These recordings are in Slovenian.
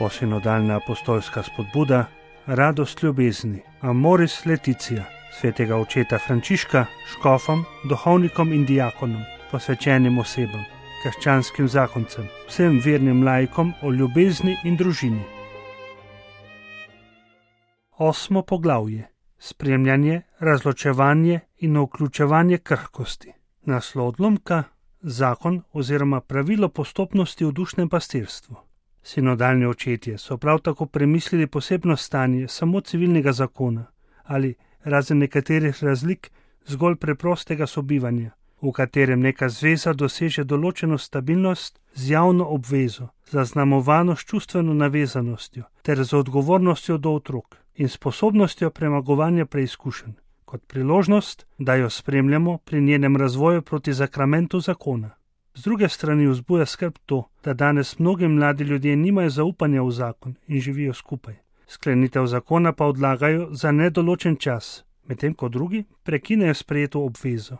Novosinodalna apostolska spodbuda, radost ljubezni, Amoris Laetitia, svetega očeta Frančiška, škofom, duhovnikom in diakonom, posvečenim osebam, krščanskim zakoncem, vsem vernim laikom o ljubezni in družini. 8. poglavje. Spremljanje, razločevanje in vključevanje krhkosti. Naslov odlomka: zakon oziroma pravilo postopnosti v dušnem pastirstvu. Sinodalni očetje so prav tako premislili posebno stanje samo civilnega zakona ali, razen nekaterih razlik, zgolj preprostega sobivanja, v katerem neka zveza doseže določeno stabilnost z javno obvezo, zaznamovano s čustveno navezanostjo ter z odgovornostjo do otrok in sposobnostjo premagovanja preizkušenj, kot priložnost, da jo spremljamo pri njenem razvoju proti zakramentu zakona. Z druge strani vzbuja skrb to, da danes mnogi mladi ljudje nimajo zaupanja v zakon in živijo skupaj. Sklenitev zakona pa odlagajo za nedoločen čas, medtem ko drugi prekinejo sprejeto obvezo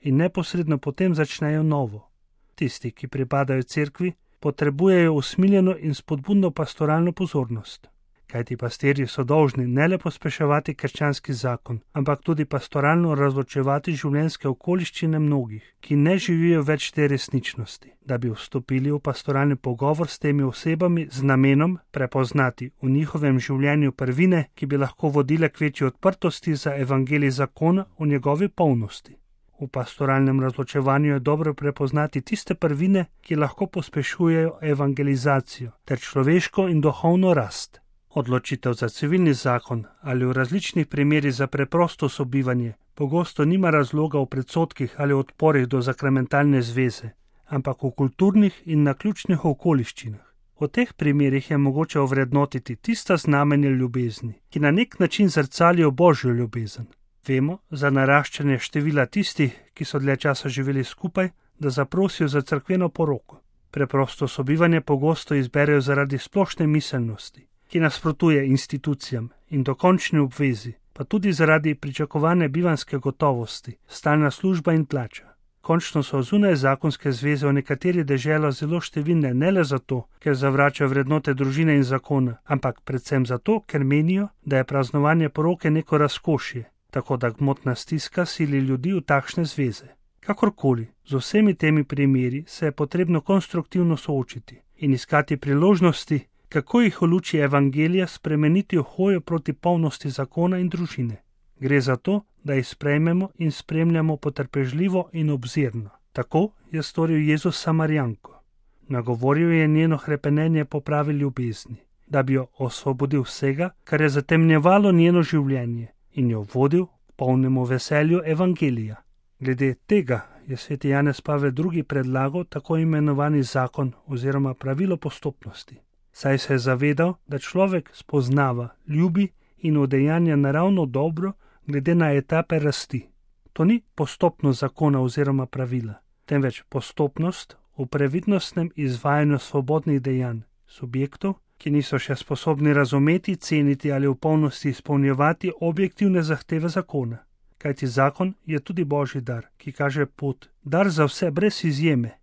in neposredno potem začnejo novo. Tisti, ki pripadajo cerkvi, potrebujejo usmiljeno in spodbudno pastoralno pozornost. Kajti pastirji so dolžni ne le pospeševati krščanski zakon, ampak tudi pastoralno razločevati življenjske okoliščine mnogih, ki ne živijo več te resničnosti, da bi vstopili v pastoralni pogovor s temi osebami z namenom prepoznati v njihovem življenju prvine, ki bi lahko vodile k večji odprtosti za evangelij zakona v njegovi polnosti. V pastoralnem razločevanju je dobro prepoznati tiste prvine, ki lahko pospešujejo evangelizacijo ter človeško in duhovno rast. Odločitev za civilni zakon ali v različnih primerih za preprosto sobivanje pogosto nima razloga v predsotkih ali odporih do sakramentalne zveze, ampak v kulturnih in naključnih okoliščinah. V teh primerih je mogoče ovrednotiti tista znamenja ljubezni, ki na nek način zrcalijo Božjo ljubezen. Vemo za naraščanje števila tistih, ki so dlje časa živeli skupaj, da zaprosijo za cerkveno poroko. Preprosto sobivanje pogosto izberejo zaradi splošne miselnosti, ki nasprotuje institucijam in dokončni obvezi, pa tudi zaradi pričakovane bivanjske gotovosti, stalna služba in plača. Končno so zunaj zakonske zveze v nekaterih deželah zelo številne ne le zato, ker zavračajo vrednote družine in zakona, ampak predvsem zato, ker menijo, da je praznovanje poroke neko razkošje, tako da gmotna stiska sili ljudi v takšne zveze. Kakorkoli, z vsemi temi primeri se je potrebno konstruktivno soočiti in iskati priložnosti, kako jih v luči evangelija spremeniti v hojo proti polnosti zakona in družine. Gre za to, da jih sprejmemo in spremljamo potrpežljivo in obzirno. Tako je storil Jezus Samarijanko. Nagovoril je njeno hrepenenje po pravi ljubezni, da bi jo osvobodil vsega, kar je zatemnjevalo njeno življenje, in jo vodil k polnemu veselju evangelija. Glede tega je sveti Janez Pavel II. Predlagal tako imenovani zakon oziroma pravilo postopnosti. Saj se je zavedal, da človek spoznava, ljubi in udejanja naravno dobro glede na etape rasti. To ni postopnost zakona oziroma pravila, temveč postopnost v previdnostnem izvajanju svobodnih dejanj subjektov, ki niso še sposobni razumeti, ceniti ali v polnosti izpolnjevati objektivne zahteve zakona. Kajti zakon je tudi Božji dar, ki kaže pot, dar za vse brez izjeme,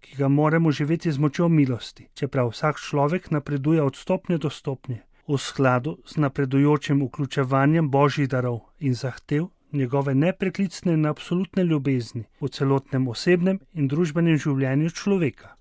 ki ga moramo živeti z močjo milosti, čeprav vsak človek napreduje od stopnje do stopnje, v skladu z napredujočim vključevanjem Božjih darov in zahtev njegove nepreklicne in absolutne ljubezni v celotnem osebnem in družbenem življenju človeka.